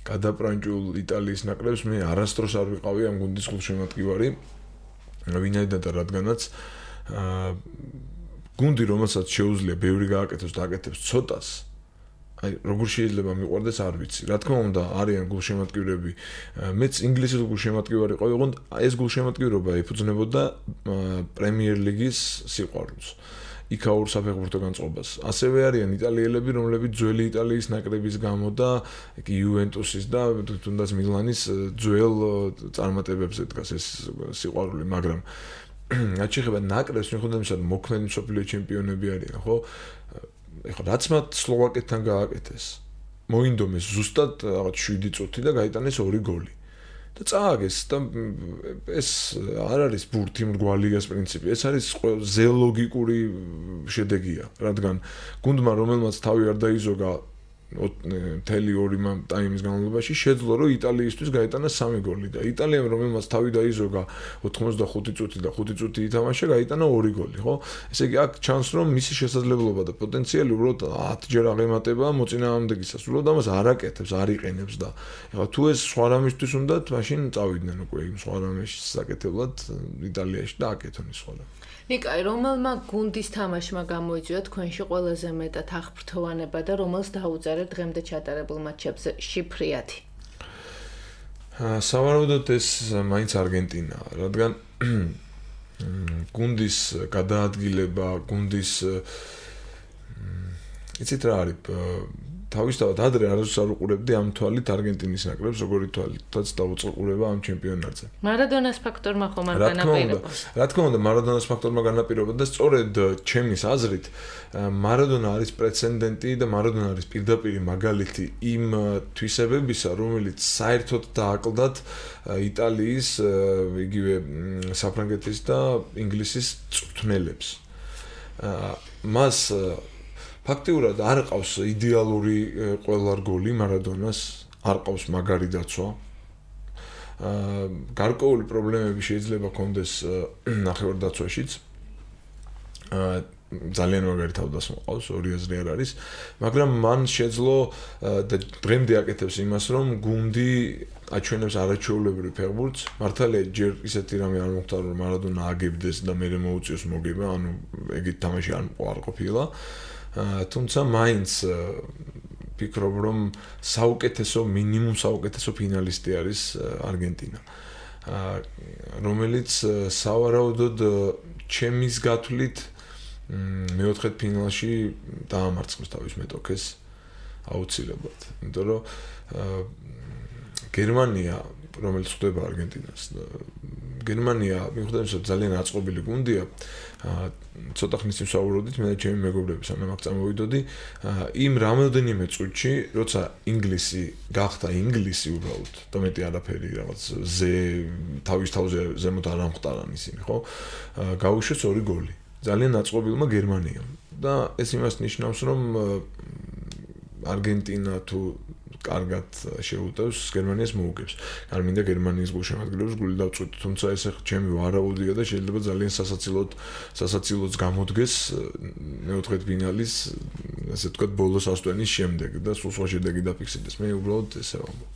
გადაპრანჭულ იტალიის ნაკრებს, მე არასდროს არ ვიყავი ამ გუნდის გულშემატკივარი, ვინაიდან და რადგანაც გუნდი, რომელსაც შეუძლია ბევრი გააკეთოს და აკეთებს ცოტას, აი როგორ შეიძლება მიყვარდეს არ ვიცი. რა თქმა უნდა, არიან გულშემატკივრები. მეც ინგლისის გულშემატკივარი ყავი, ოღონდ ეს გულშემატკივრობა ეფუძნებოდა პრემიერ ლიგის სიყვარულს. იქაურ საფეხბურთო განწყობას. ასევე არიან იტალიელები, რომლებიც ძველი იტალიის ნაკრების გამო და იუვენტუსის და თუნდაც მილანის ძველ წარმატებებზე დგას ეს სიყვარული, მაგრამ რაც შეეხება ნაკრებს, მიუხედავად იმისა, რომ მოქმედი მსოფლიო ჩემპიონები არიან, ხო? ეხლა რაც მათ სლოვაკეთთან გააკეთეს, მოინდომეს ზუსტად რაღაც შვიდი წუთი და გაიტანეს ორი გოლი. და წააგეს და ეს არ არის ბურთი მრგვალიას პრინციპი, ეს არის ზეოლოგიკური შედეგია, რადგან გუნდმა, რომელმაც თავი არ დაიზოგა მთელი ორი ტაიმის განმავლობაში, შეძლო, რომ იტალიისთვის გაიტანა სამი გოლი და იტალიამ, რომელმაც თავი დაიზოგა ოცდახუთი წუთი და ხუთი წუთი ითამაშა, გაიტანა ორი გოლი, ხო? ესე იგი, აქ ჩანს, რომ მისი შესაძლებლობა და პოტენციალი უბრალოდ ათჯერ აღემატება მოწინააღმდეგისას, უბრალოდ ამას არ აკეთებს, არ იყენებს და ეხლა თუ ეს სხვა რამისთვის უნდათ, მაშინ წავიდნენ უკვე იმ სხვა რამის საკეთებლად იტალიაში და აკეთონ ის სხვა რამე. ნიკაი, რომელმა გუნდის თამაშმა გამოიწვია თქვენში ყველაზე მეტად აღფრთოვანება და რომელს დაუწერეთ დღემდე ჩატარებულ მატჩებზე შიფრიათი? სავარაუდოდ ეს მაინც არგენტინაა, რადგან გუნდის გადაადგილება, გუნდის იცით რა არის, თავისთავად ადრე არასდროს არ უყურებდი ამ თვალით არგენტინის ნაკრებს, როგორი თვალითაც დაუწყურება ამ ჩემპიონატზე. მარადონას ფაქტორმა ხომ არ განაპირობა? რა თქმა უნდა, მარადონას ფაქტორმა განაპირობა და სწორედ ჩემის აზრით, მარადონა არის პრეცედენტი და მარადონა არის პირდაპირი მაგალითი იმ თვისებებისა, რომელიც საერთოდ დააკლდათ იტალიის, იგივე საფრანგეთის და ინგლისის წვრთნელებს. მას ფაქტიურად არ ყავს იდეალური ყველა რგოლი მარადონას, არ ყავს მაგარი დაცვა. გარკვეული პრობლემები შეიძლება კონდეს ნახევარდაცვაშიც. ძალიან მაგარი თავდასხმა ყავს, ორი აზრი არ არის, მაგრამ მან შეძლო და დღემდე აკეთებს იმას, რომ გუნდი აჩვენებს არაჩვეულებრივ ფეხბურთს. მართალია ჯერ ისეთი რამე არ მოხდა, რომ მარადონა აგებდეს და მერე მოუწიოს მოგება, ანუ ეგეთ თამაში არ ყოფილა. თუმცა მაინც ფიქრობ, რომ საუკეთესო, მინიმუმ საუკეთესო ფინალისტი არის არგენტინა. რომელიც სავარაუდოდ ჩემის გათვლით მეოთხედ ფინალში დაამარცხოს თავის მეტოქეს აუცილებლად. იმიტომ რომ გერმანია, რომელიც ხვდება არგენტინას, გერმანია მიუხედავად ძალიან აწყობილი გუნდია, ცოტა ხნის წინ ვსაუბრობდით მე და ჩემი მეგობრები სანამ აქ წამოვიდოდი, იმ რამოდენიმე წუთში, როცა ინგლისი გახდა ინგლისი უბრალოდ, და მეტი არაფერი რაღაც ზე თავის თავზე ზემოთ არ ამხტარან ისინი, ხო? გაუშვეს ორი გოლი. ძალიან აწყობილმა გერმანიამ. და ეს იმას ნიშნავს, რომ არგენტინა თუ კარგად შეუტევს, გერმანიას მოუგებს. არ მინდა გერმანიის გულშემატკივრებს გული დავწყვეტ, თუმცა ეს ჩემი ვარაუდია და შეიძლება ძალიან სასაცილოდ სასაცილოც გამოდგეს მეოთხედ ფინალის, ასე ვთქვათ, ბოლოს ასწვენის შემდეგ და სულ სხვა შედეგი დაფიქსირდეს. მე უბრალოდ ესე ვამბობ.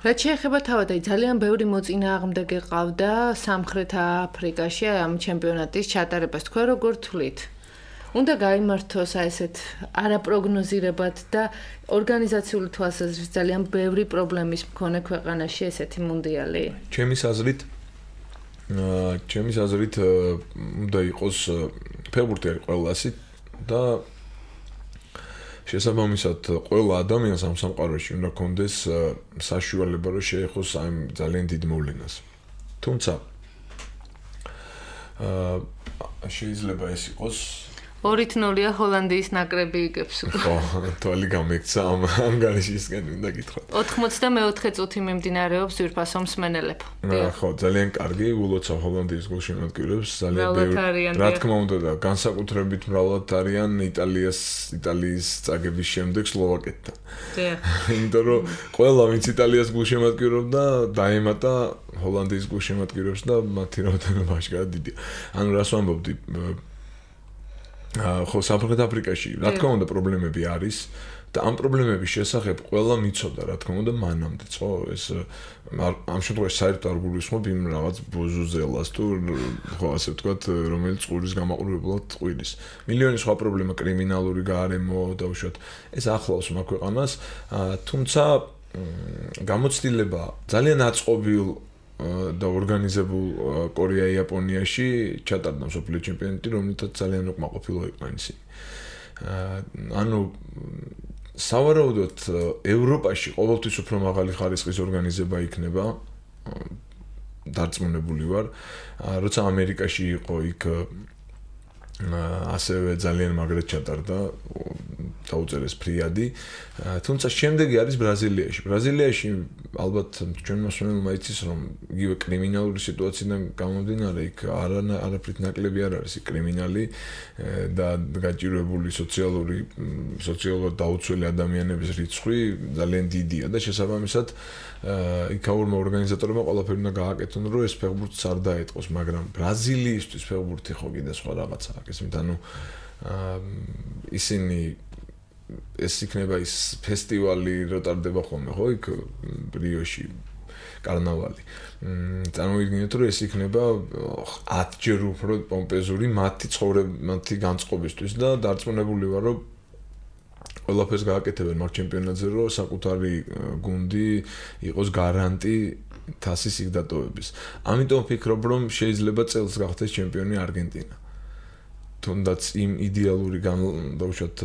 რაც შეეხება თავადაც ძალიან ბევრი მოწინააღმდეგე ყავდა სამხრეთ აფრიკაში ამ ჩემპიონატის ჩატარებას. თქვენ როგორ თვლით? უნდა გაიმართოს ესეთ არაპროგნოზირებად და ორგანიზაციული თვალსაზრისით ძალიან ბევრი პრობლემის მქონე ქვეყანაში ესეთი მუნდიალი? ჩემის აზრით, ჩემის აზრით უნდა იყოს ფეხბურთი არის ყველასი და შესაბამისად ყველა ადამიანს ამ სამყაროში უნდა კონდეს საშუალება რომ შეეხოს ამ ძალიან დიდ მოვლენას. თუმცა შეიძლება ეს იყოს ორით ნულია ჰოლანდიის ნაკრები იგებს. ხო, თვალი გამექცა ამ ანგარიშისგან უნდა გითხრათ. ოთხმოცდამეოთხე წუთი მიმდინარეობს ძვირფასო მსმენელებ. ხო, ძალიან კარგი, ულოცავ ჰოლანდიის გულშემატკივრებს, ძალიან ბევრი. რა თქმა უნდა და განსაკუთრებით მრავლად არიან იტალიას, იტალიის წაგების შემდეგ სლოვაკეთთან. იმიტომ რომ ყველა ვინც იტალიას გულშემატკივრობდა, დაემატა ჰოლანდიის გულშემატკივრებს და მათი რაოდენობა აშკარად დიდია. ანუ რას ვამბობდი? ხო, სამხრეთ აფრიკაში რა თქმა უნდა პრობლემები არის და ამ პრობლემების შესახებ ყველა მიცოდა რა თქმა უნდა მანამდეც, ხო, ეს ამ შემთხვევაში საერთოდ არ გულისხმობ იმ რაღაც ბოზუზელას თუ ხო ასე ვთქვათ, რომელიც ყურის გამაყურებლად ყვილის. მილიონი სხვა პრობლემა, კრიმინალური გარემო და უშუალოდ ეს ახლავს მაგ ქვეყანას, თუმცა გამოცდილება ძალიან აწყობილ და ორგანიზებულ კორეა-იაპონიაში ჩატარდა მსოფლიო ჩემპიონატი, რომელთაც ძალიან უკმაყოფილო იყვნენ ისინი. ანუ სავარაუდოდ ევროპაში ყოველთვის უფრო მაღალი ხარისხის ორგანიზება იქნება, დარწმუნებული ვარ, როცა ამერიკაში იყო იქ ასევე ძალიან მაგრად ჩატარდა დაუწერეს ფრიადი, თუმცა შემდეგი არის ბრაზილიაში. ბრაზილიაში ალბათ ჩვენ მოსმენელმა იცის, რომ იგივე კრიმინალური სიტუაციიდან გამომდინარე იქ არაფრით ნაკლები არ არის კრიმინალი და გაჭირვებული სოციალური სოციალურად დაუცველი ადამიანების რიცხვი ძალიან დიდია და შესაბამისად იქაურმა ორგანიზატორებმა ყველაფერი უნდა გააკეთონ, რომ ეს ფეხბურთს არ დაეტყოს, მაგრამ ბრაზილიისთვის ფეხბურთი ხო კიდე სხვა რაღაცაა. ესმით, ანუ ისინი ეს იქნება ის ფესტივალი რო ტარდება ხოლმე, ხო, იქ რიოში კარნავალი. წარმოვიდგინეთ, რომ ეს იქნება ათჯერ უფრო პომპეზური მათი ცხოვრება, მათი განწყობისთვის და დარწმუნებული ვარ, რომ ყველაფერს გააკეთებენ მაგ ჩემპიონატზე, რომ საკუთარი გუნდი იყოს გარანტი თასის იქ დატოვების. ამიტომ ვფიქრობ, რომ შეიძლება წელს გახდეს ჩემპიონი არგენტინა. თუნდაც იმ იდეალური განლაგებით,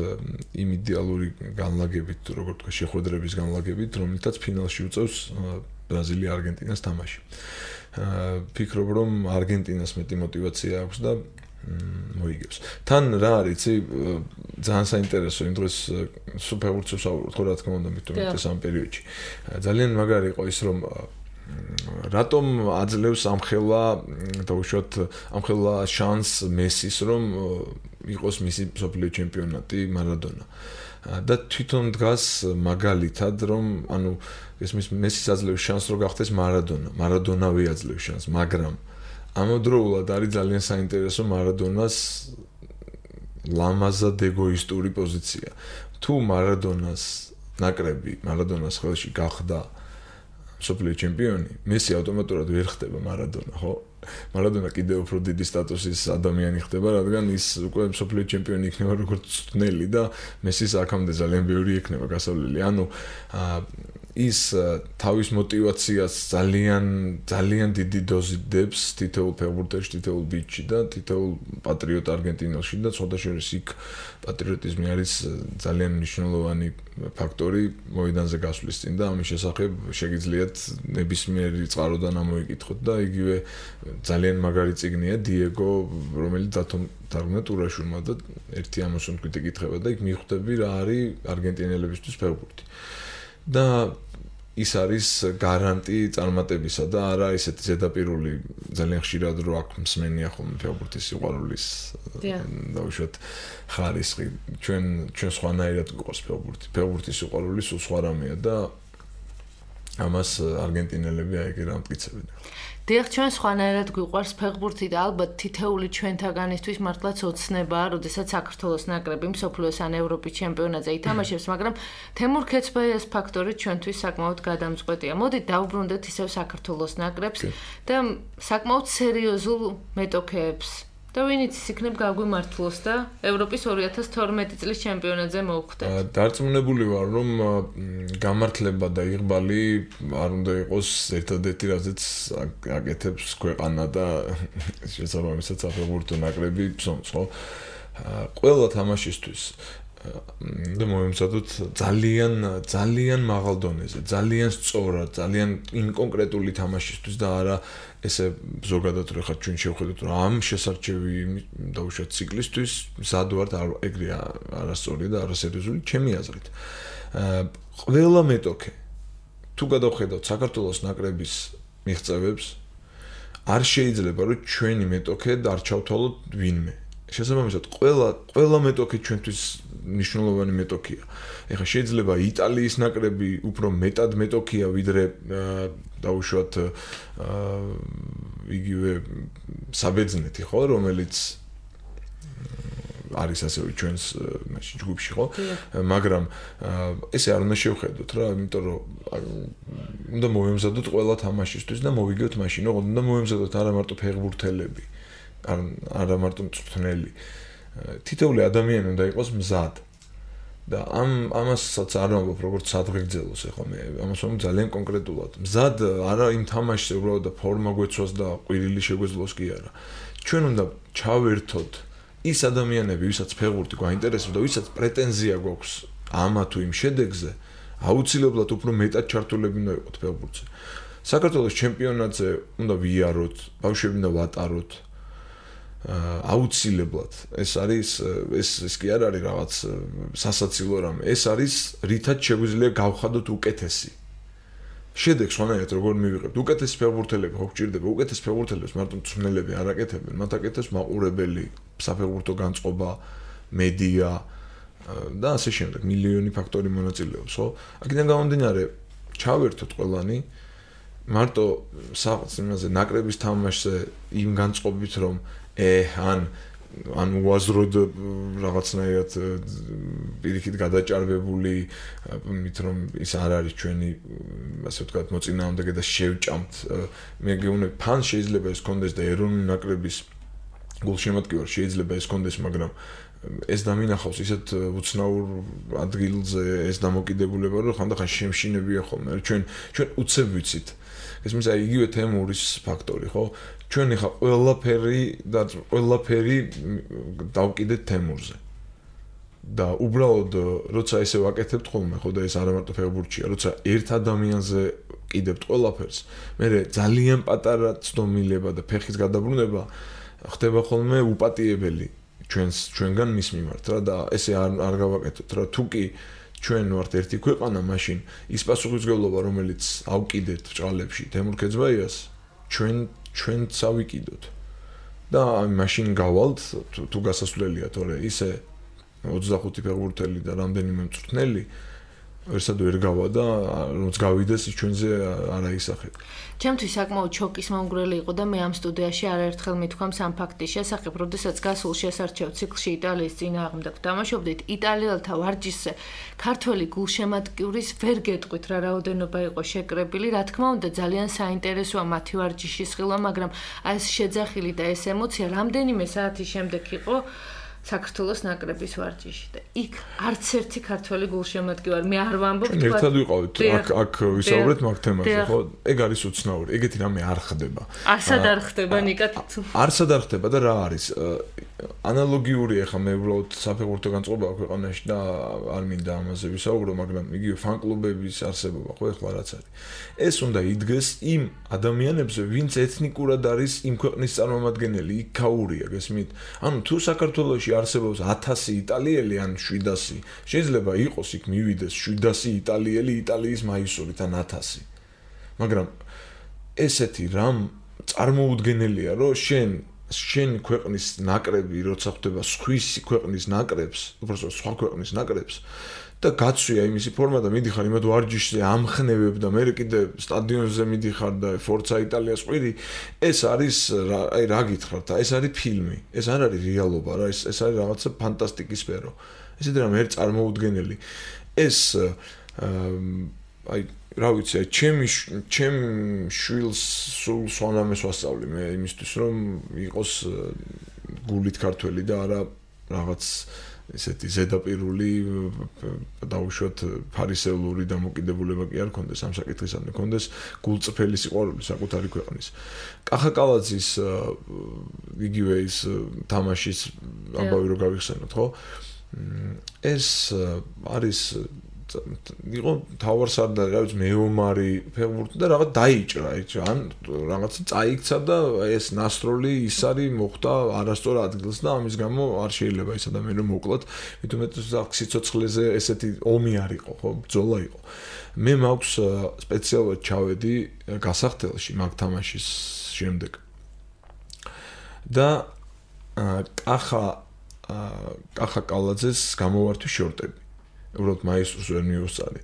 იმ იდეალური განლაგებით, როგორ თქვა, შეხვედრების განლაგებით, რომელთაც ფინალში უწევს ბრაზილია არგენტინას თამაში. ვფიქრობ, რომ არგენტინას მეტი мотиваცია აქვს და მოიგებს. თან რა არის, იცი, ძალიან საინტერესო იმ დღეს სუპერბურთს ვსაუბრობთ, ხო, რა თქმა უნდა, მით უმეტეს ამ პერიოდში. ძალიან მაგარი იყო ის, რომ რატომ აძლევს ამხელა დაუშვათ ამხელა შანსს მესის რომ იყოს მისი მსოფლიო ჩემპიონატი მარადონა და თვითონ დგას მაგალითად რომ ანუ ესმის მესის აძლევს შანსს რომ გახდეს მარადონა მარადონავე აძლევს შანსს მაგრამ ამავდროულად არის ძალიან საინტერესო მარადონას ლამაზად ეგოისტური პოზიცია თუ მარადონას ნაკრები მარადონას ხელში გახდა მსოფლიო ჩემპიონი მესი ავტომატურად ვერ ხდება მარადონა ხო მარადონა კიდევ უფრო დიდი სტატუსის ადამიანი ხდება რადგან ის უკვე მსოფლიო ჩემპიონი იქნება როგორც წვნელი და მესის აქამდე ძალიან ბევრი იქნება გასავლელი ანუ ის თავის мотиваციას ძალიან ძალიან დიდი დოზით დებს თითოეულ ფეხბურთელში, თითოეულ ბიჭში და თითოეულ პატრიოტ არგენტინელში და სხვათა შორის იქ პატრიოტიზმი არის ძალიან მნიშვნელოვანი ფაქტორი მოედანზე გასვლის წინ და ამის შესახებ შეგიძლიათ ნებისმიერი წყაროდან ამოიკითხოთ და იგივე ძალიან მაგარი წიგნია დიეგო რომელიც დათომ ტურაშულმა და ერთი ამოსუნ თქვით ეკითხება და იქ მიხვდები რა არის არგენტინელებისთვის ფეხბურთი და ის არის გარანტი წარმატებისა და არა ესეთი ზედაპირული ძალიან ხშირად რო აქ მსმენია ხოლმე ფეხბურთის სიყვარულის დაუშვათ ხარისხი ჩვენ ჩვენ სხვანაირად გვყავს ფეხბურთი ფეხბურთის სიყვარული სულ სხვა რამეა და ამას არგენტინელები აიგე რა მტკიცებენ დიახ ჩვენ სხვანაირად გვიყვარს ფეხბურთი და ალბათ თითეული ჩვენთაგანისთვის მართლაც ოცნებაა, როდესაც საქართველოს ნაკრები მსოფლიოს ან ევროპის ჩემპიონატზე ითამაშებს, მაგრამ თემურ ქეცბაიას ფაქტორი ჩვენთვის საკმაოდ გადამწყვეტია. მოდით დავუბრუნდეთ ისევ საქართველოს ნაკრებს და საკმაოდ სერიოზულ მეტოქეებს. და ვინიც იქნებ გაგვიმართლოს და ევროპის ორი ათას თორმეტი წლის ჩემპიონატზე მოვხვდეთ. დარწმუნებული ვარ, რომ გამართლება და იღბალი არ უნდა იყოს ერთადერთი, რაზეც აკეთებს ქვეყანა და შესაბამისად საფეხბურთო ნაკრები ფსონს, ხო? ყველა თამაშისთვის და მოემზადოთ ძალიან ძალიან მაღალ დონეზე, ძალიან სწორად, ძალიან ინკონკრეტული თამაშისთვის და არა ესე ზოგადად რო ხარ ჩვენ შევხედოთ რომ ამ შესარჩევი დაუშვათ ციკლისთვის მზად ვართ ეგრე არასწორი და არასერიოზული ჩემი აზრით. ყველა მეტოქე თუ გადავხედავთ საქართველოს ნაკრების მიღწევებს არ შეიძლება რომ ჩვენი მეტოქე არ ჩავთვალოთ ვინმე. შესაბამისად ყველა ყველა მეტოქე ჩვენთვის მნიშვნელოვანი მეტოქია. ეხლა შეიძლება იტალიის ნაკრები უფრო მეტად მეტოქია ვიდრე დაუშვათ იგივე საბერძნეთი ხო რომელიც არის ასევე ჩვენს მაშინ ჯგუფში ხო მაგრამ ესე არ უნდა შევხედოთ რა იმიტომ რომ უნდა მოვემზადოთ ყველა თამაშისთვის და მოვიგოთ მაშინ რომ უნდა მოვემზადოთ არა მარტო ფეხბურთელები არა მარტო მწვრთნელი თითოეული ადამიანი უნდა იყოს მზად და ამ ამასაც არ ვამბობ როგორც სადღეგრძელოს ეხლა მე ამას ვამბობ ძალიან კონკრეტულად მზად არა იმ თამაშზე უბრალოდ და ფორმა გვეცვას და ყვირილი შეგვეძლოს კი არა ჩვენ უნდა ჩავერთოთ ის ადამიანები ვისაც ფეხბურთი გვაინტერესებს და ვისაც პრეტენზია გვაქვს ამა თუ იმ შედეგზე აუცილებლად უფრო მეტად ჩართულები უნდა იყოთ ფეხბურთზე საქართველოს ჩემპიონატზე უნდა ვიაროთ ბავშვები უნდა ვატაროთ აუცილებლად ეს არის ეს ეს კი არ არის რაღაც სასაცილო რამე ეს არის რითაც შეგვიძლია გავხადოთ უკეთესი შედეგს ხანაერთ როგორ მივიღებთ უკეთესი ფეხბურთელები ხო გჭირდება უკეთეს ფეხბურთელებს მარტო მწვრთნელები არ აკეთებენ მათ აკეთებს მაყურებელი საფეხბურთო განწყობა მედია და ასე შემდეგ მილიონი ფაქტორი მონაწილეობს ხო აქედან გამომდინარე ჩავერთოთ ყველანი მარტო საქმეზე ნაკრების თამაშზე იმ განწყობით რომ ე ან ან უაზროდ რაღაცნაირად პირიქით გადაჭარბებული მით რომ ის არ არის ჩვენი ასე ვთქვათ მოწინააღმდეგე და შევჭამთ მე გეუბნები ფან შეიძლება ეს კონდეს და ეროვნული ნაკრების გულშემატკივარ შეიძლება ეს კონდეს მაგრამ ეს დამინახავს ისეთ უცნაურ ადგილზე ეს დამოკიდებულება რომ ხანდახან შემშინებია ხოლმე ჩვენ ჩვენ უცებ ვიცით ეს მის აი იგივე თემურის ფაქტორი ხო ჩვენ ახლა ყველაფერი და ყველაფერი დავკიდეთ თემურზე და უბრალოდ როცა ესე ვაკეთებთ ხოლმე ხო და ეს არა მარტო ფეხბურთია როცა ერთ ადამიანზე კიდებთ ყველაფერს მე ძალიან პატარა ცდომილება და ფეხის გადაბრუნება ხდება ხოლმე უპატიებელი ჩვენს ჩვენგან მის მიმართ რა და ესე არ არ გავაკეთოთ რა თუ კი ჩვენ ვართ ერთი ქვეყანა, მაშინ ის პასუხისმგებლობა, რომელიც ავკიდეთ ბჭყალებში თემურ ქეძვაიას, ჩვენ ჩვენც ავიკიდოთ. და მაშინ გავალთ თუ გასასვლელია, თორე ისე ოცდახუთი ფეხბურთელი და რამდენიმე მწვრთნელი ვერსად ვერ გავა და როც გავიდეს ის ჩვენზე არ აისახება. ჩემთვის საკმაოდ შოკის მომგვრელი იყო და მე ამ სტუდიაში არაერთხელ მithქვამს ამ ფაქტის შესახებ, როდესაც გასულ შესარჩევ ციკლში იტალიის წინააღმდეგ თამაშობდით, იტალიელთა ვარჯიშზე ქართველი გულშემატკივრის ვერ გეტყვით რა რაოდენობა იყო შეკრებილი, რა თქმა უნდა ძალიან საინტერესოა მათი ვარჯიშის ხილვა, მაგრამ აი ეს შეძახილი და ეს ემოცია რამდენიმე საათის შემდეგ იყო საქართველოს ნაკრების ვარჯიში და იქ არც ერთი ქართველი გულშემატკივარი მე არ ვამბობ თქვა ერთად ვიყავით აქ აქ ვისაუბრეთ მაგ თემაზე ხო ეგ არის უცნაური ეგეთი რამე არ ხდება არსად არ ხდება ნიკა არსად არ ხდება და რა არის ანალოგიური ახლა მე უბრალოდ საფეხბურთო განწყობა ქვეყანაში და არ მინდა ამაზე ვისაუბრო მაგრამ იგივე ფან-კლუბების არსებობა ხო ახლა რაც არის ეს უნდა იდგეს იმ ადამიანებზე ვინც ეთნიკურად არის იმ ქვეყნის წარმომადგენელი იქაურია გესმით ანუ თუ საქართველოში არსებობს ათასი იტალიელი ან შვიდასი შეიძლება იყოს იქ მივიდეს შვიდასი იტალიელი იტალიის მაისურით ან ათასი მაგრამ ესეთი რამ წარმოუდგენელია რომ შენ შენ ქვეყნის ნაკრები როცა ხვდება სხვისი ქვეყნის ნაკრებს უბრალოდ სხვა ქვეყნის ნაკრებს და გაცვია იმისი ფორმა და მიდიხარ იმად ვარჯიშზე ამხნევებ და მე კიდე სტადიონზე მიდიხარ და ფორცა იტალიას ყვირი ეს არის აი რა გითხრათ ეს არის ფილმი ეს არ არის რეალობა რა ეს ეს არის რაღაცა ფანტასტიკის სფერო ესეთი რამე ერთ წარმოუდგენელი ეს აი რა ვიცი ჩემი ჩემ შვილს სულ სვანამეს ვასწავლი მე იმისთვის რომ იყოს გულით ქართველი და არა რაღაც ესეთი ზედაპირული დაუშვათ ფარისეულური დამოკიდებულება კი არ ქონდეს ამ საკითხისადმი ქონდეს გულწრფელი სიყვარული საკუთარი ქვეყნის კახაკალაძის იგივე ის თამაშის ამბავი რო გავიხსენოთ ხო ეს არის იყო თავარსარდალი რა ვიცი მეომარი ფეხბურთი და რაღაც დაიჭრა ეჭა ან რაღაცა წაიქცა და ეს ნასროლი ის არის მოხდა არასწორ ადგილს და ამის გამო არ შეიძლება ეს ადამიანი რომ მოკლათ მithumet სიცოცხლეზე ესეთი ომი არ იყო ხო ბრძოლა იყო მე მაქვს სპეციალურად ჩავედი გასახდელში მაგ თამაშის შემდეგ და კახა კახა კალაძეს გამოვართვის შორტები უბრალოდ მაისურს ვერ მივუსწარი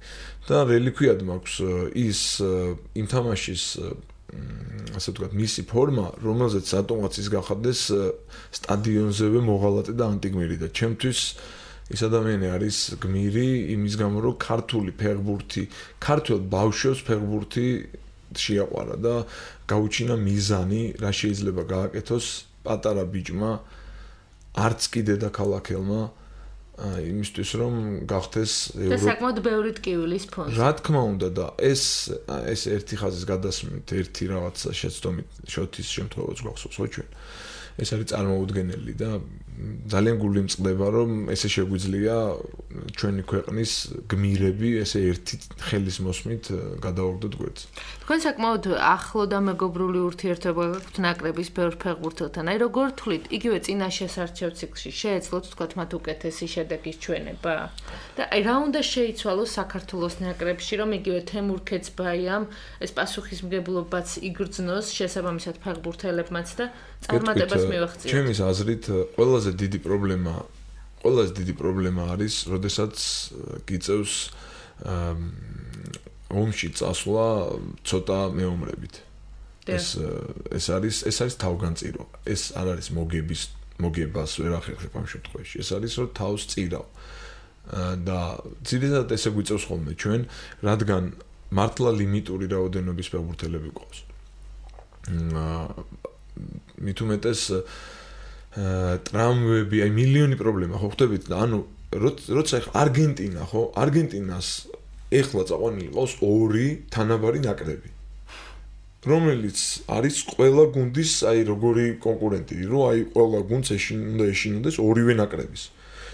და რელიკვიად მაქვს ის იმ თამაშის ასე ვთქვათ მისი ფორმა რომელზეც სატომაც ის გახდეს სტადიონზევე მოღალატე და ანტიგმირი და ჩემთვის ეს ადამიანი არის გმირი იმის გამო რომ ქართული ფეხბურთი ქართულ ბავშვებს ფეხბურთი შეაყვარა და გაუჩინა მიზანი რა შეიძლება გააკეთოს პატარა ბიჭმა არც კი დედაქალაქელმა იმისთვის რომ გახდეს და საკმაოდ ბევრი ტკივილის ფონზე. რა თქმა უნდა და ეს ეს ერთი ხაზის გადასმით, ერთი რაღაცა შეცდომით შოთის შემთხვევაც გვახსოვს ხო ჩვენ. ეს არის წარმოუდგენელი და ძალიან გული მწყდება რომ ესე შეგვიძლია ჩვენი ქვეყნის გმირები ესე ერთი ხელის მოსმით გადავაგდოთ გვერდს. თქვენ საკმაოდ ახლო და მეგობრული ურთიერთობა გაქვთ ნაკრების ბევრ ფეხბურთელთან. აი როგორ თვლით, იგივე წინა შესარჩევ ციკლში შეეძლოთ თქვათ მათ უკეთესი შედეგის ჩვენება? და აი რა უნდა შეიცვალოს საქართველოს ნაკრებში, რომ იგივე თემურ ქეცბაიამ ეს პასუხისმგებლობაც იგრძნოს შესაბამისად ფეხბურთელებმაც და წარმატებას მივახციოთ. ჩემის აზრით ყველაზე დიდი პრობლემა ყველაზე დიდი პრობლემა არის, როდესაც გიწევს ომში წასვლა ცოტა მეომრებით. ეს ეს არის ეს არის თავგანწირო. ეს არ არის მოგების მოგებას ვერ ახერხებ ამ შემთხვევაში. ეს არის რომ თავს წირავ. და ძირითადად ესე გვიწევს ხოლმე ჩვენ, რადგან მართლა ლიმიტური რაოდენობის ფეხბურთელები გვყავს. მით უმეტეს ტრამვები, აი მილიონი პრობლემა ხო ხვდებით და ანუ როცა ახ არგენტინა ხო არგენტინას ეხლა წაყვანილი ყავს ორი თანაბარი ნაკრები რომელიც არის ყველა გუნდის აი როგორი კონკურენტი რომ აი ყველა გუნდს უნდა ეშინოდეს ორივე ნაკრების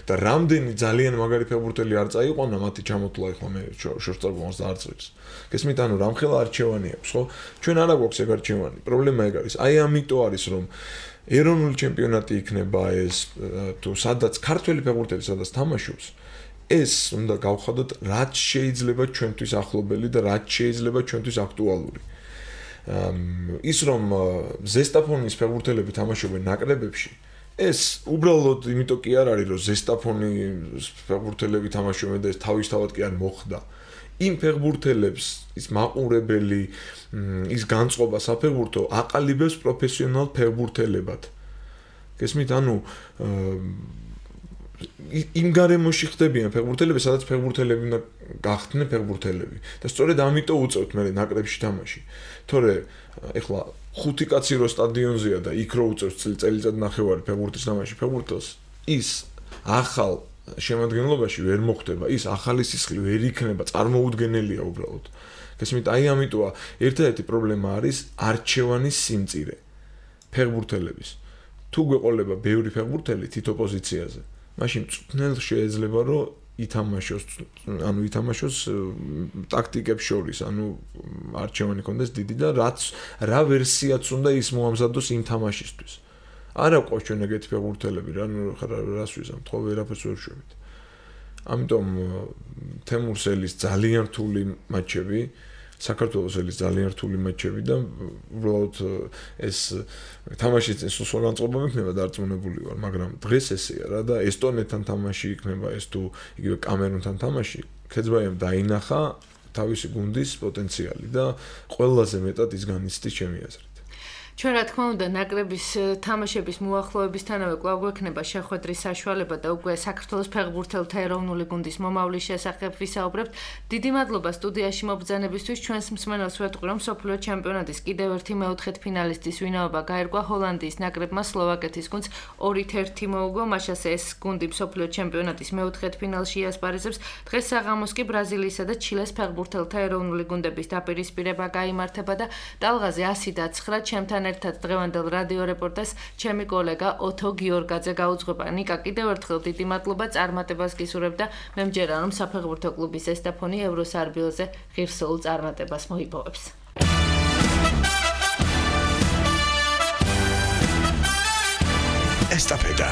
და რამდენი ძალიან მაგარი ფეხბურთელი არ წაიყვანა მათი ჩამოთვლა ახლა მე შორტსტაგონს და არც ვიცი გესმით ანუ რამხელა არჩევანი აქვს ხო ჩვენ არა გვაქვს ეგ არჩევანი პრობლემა ეგ არის აი ამიტომ არის რომ ეროვნული ჩემპიონატი იქნება ეს თუ სადაც ქართველი ფეხბურთელი სადაც თამაშობს ეს უნდა გავხადოთ, რაც შეიძლება ჩვენთვის ახლობელი და რაც შეიძლება ჩვენთვის აქტუალური. ის რომ ზესტაფონის ფეხბურთელები თამაშობენ ნაკრებებში, ეს უბრალოდ იმიტომ კი არ არის, რომ ზესტაფონის ფეხბურთელები თამაშობენ და ეს თავისთავად კი არ მოხდა. იმ ფეხბურთელებს ის მაყურებელი, ის განწყობა საფეხბურთო აყალიბებს პროფესიონალ ფეხბურთელებად. გესმით, ანუ იმ გარემოში ხდებიან ფეხბურთელები, სადაც ფეხბურთელები უნდა გახდნენ ფეხბურთელები. და სწორედ ამიტომ უწევთ მე ნაკრებში თამაში. თორე ეხლა ხუთი კაცი რო სტადიონზეა და იქ რო უწევს წელიწად ნახევარი ფეხბურთის თამაში ფეხბურთელს, ის ახალ შემადგენლობაში ვერ მოხდება, ის ახალი სისხლი ვერ იქნება, წარმოუდგენელია უბრალოდ. გესმით, აი ამიტომა ერთადერთი პრობლემა არის არჩევანის სიმწირე ფეხბურთელების. თუ გვეყოლება ბევრი ფეხბურთელი თითო პოზიციაზე, მაშინ წვნელ შეიძლება რომ ითამაშოს, ანუ ითამაშოს ტაქტიკებს შორის, ანუ არჩევანი კონდეს დიდი და რაც რა ვერსიაც უნდა ის მოამზადოს იმ თამაშისთვის. არა ყავს ჩვენ ეგეთი ფეხბურთელები, რა რას ვიზამ, თქო ვერაფერს ვერ შვებით. ამიტომ თემურსელის ძალიან რთული მატჩები, საქართველოსელის ძალიან რთული მატჩები და უბრალოდ ეს თამაშიც სულ განწყობა მექნება დარწმუნებული ვარ, მაგრამ დღეს ესეა რა და ესტონეთთან თამაში იქნება, ეს თუ იგივე კამერუნთან თამაში, ქეძბაიამ დაინახა თავისი გუნდის პოტენციალი და ყველაზე მეტად ის განიცდის ჩემი აზრით. ჩვენ რა თქმა უნდა ნაკრების თამაშების მოახლოებისთანავე კვლავ გვექნება შეხვედრის საშუალება და უკვე საქართველოს ფეხბურთელთა ეროვნული გუნდის მომავლის შესახებ ვისაუბრებთ. დიდი მადლობა სტუდიაში მობრძანებისთვის. ჩვენს მსმენელს ვეთქვი, რომ მსოფლიო ჩემპიონატის კიდევ ერთი მეოთხედფინალისტის ვინაობა გაერკვა ჰოლანდიის ნაკრებმა სლოვაკეთის გუნდს ორით ერთი მოუგო. მაშასე ეს გუნდი მსოფლიო ჩემპიონატის მეოთხედფინალში იასპარეზებს. დღეს საღამოს კი ბრაზილიისა და ჩილეს ფეხბურთელთა ეროვნული გუნდების დაპირისპირება გაიმართება და ტალღაზე ასი და ცხრა ჩემთან ერთად დღევანდელ რადიო რეპორტაჟს ჩემი კოლეგა ოთო გიორგაძე გაუძღვება. ნიკა, კიდევ ერთხელ დიდი მადლობა, წარმატებას გისურვებ და მე მჯერა რომ საფეხბურთო კლუბის ზესტაფონი ევროსარბიელზე ღირსეულ წარმატებას მოიპოვებს. ესტაფეტა